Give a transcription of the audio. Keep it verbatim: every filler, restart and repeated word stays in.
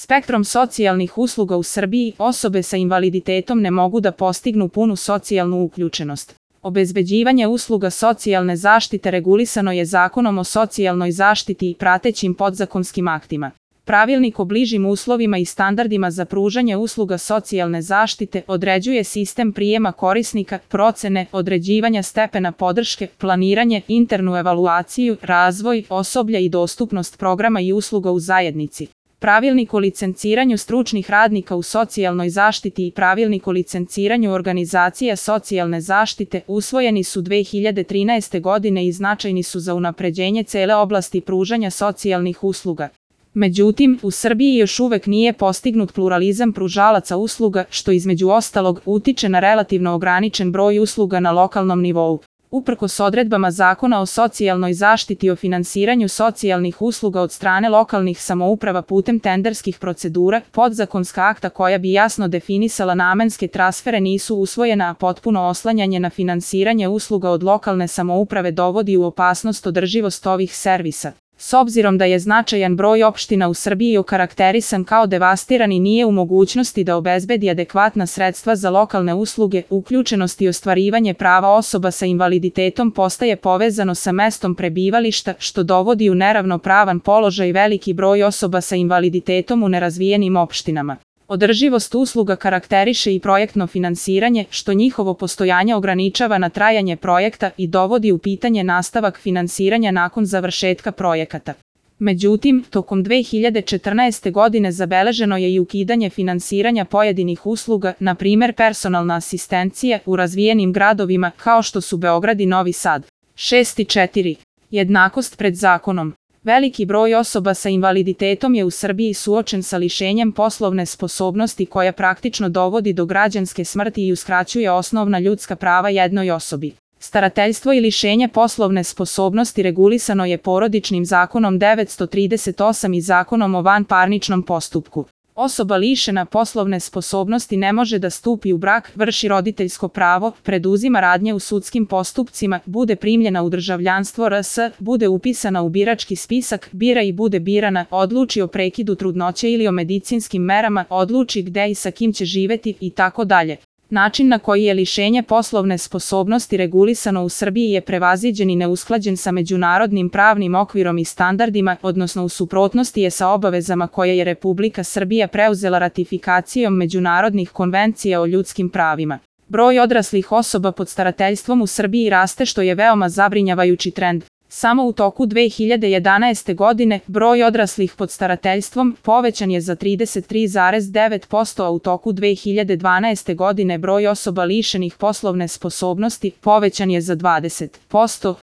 Spektrom socijalnih usluga u Srbiji osobe sa invaliditetom ne mogu da postignu punu socijalnu uključenost. Obezbeđivanje usluga socijalne zaštite regulisano je Zakonom o socijalnoj zaštiti i pratećim podzakonskim aktima. Pravilnik o bližim uslovima i standardima za pružanje usluga socijalne zaštite određuje sistem prijema korisnika, procene, određivanja stepena podrške, planiranje, internu evaluaciju, razvoj, osoblja i dostupnost programa i usluga u zajednici. Pravilnik o licenciranju stručnih radnika u socijalnoj zaštiti i Pravilnik o licenciranju organizacija socijalne zaštite usvojeni su dve hiljade trinaeste. godine i značajni su za unapređenje cele oblasti pružanja socijalnih usluga. Međutim, u Srbiji još uvek nije postignut pluralizam pružalaca usluga, što između ostalog utiče na relativno ograničen broj usluga na lokalnom nivou. Uprkos odredbama Zakona o socijalnoj zaštiti o finansiranju socijalnih usluga od strane lokalnih samouprava putem tenderskih procedura, podzakonska akta koja bi jasno definisala namenske transfere nisu usvojena, a potpuno oslanjanje na finansiranje usluga od lokalne samouprave dovodi u opasnost održivost ovih servisa. S obzirom da je značajan broj opština u Srbiji okarakterisan kao devastiran i nije u mogućnosti da obezbedi adekvatna sredstva za lokalne usluge, uključenost i ostvarivanje prava osoba sa invaliditetom postaje povezano sa mestom prebivališta, što dovodi u neravnopravan položaj veliki broj osoba sa invaliditetom u nerazvijenim opštinama. Održivost usluga karakteriše i projektno finansiranje, što njihovo postojanje ograničava na trajanje projekta i dovodi u pitanje nastavak finansiranja nakon završetka projekata. Međutim, tokom dve hiljade četrnaeste. godine zabeleženo je i ukidanje finansiranja pojedinih usluga, na primer personalna asistencija, u razvijenim gradovima kao što su Beograd i Novi Sad. šest četiri. Jednakost pred zakonom. Veliki broj osoba sa invaliditetom je u Srbiji suočen sa lišenjem poslovne sposobnosti koja praktično dovodi do građanske smrti i uskraćuje osnovna ljudska prava jednoj osobi. Starateljstvo i lišenje poslovne sposobnosti regulisano je Porodičnim zakonom devetsto trideset osam i Zakonom o vanparničnom postupku. Osoba lišena poslovne sposobnosti ne može da stupi u brak, vrši roditeljsko pravo, preduzima radnje u sudskim postupcima, bude primljena u državljanstvo R S, bude upisana u birački spisak, bira i bude birana, odluči o prekidu trudnoće ili o medicinskim merama, odluči gde i sa kim će živeti i tako dalje. Način na koji je lišenje poslovne sposobnosti regulisano u Srbiji je prevaziđen i neusklađen sa međunarodnim pravnim okvirom i standardima, odnosno u suprotnosti je sa obavezama koje je Republika Srbija preuzela ratifikacijom međunarodnih konvencija o ljudskim pravima. Broj odraslih osoba pod starateljstvom u Srbiji raste, što je veoma zabrinjavajući trend. Samo u toku dve hiljade jedanaeste. godine broj odraslih pod starateljstvom povećan je za trideset tri zarez devet posto, a u toku dve hiljade dvanaeste. godine broj osoba lišenih poslovne sposobnosti povećan je za dvadeset posto.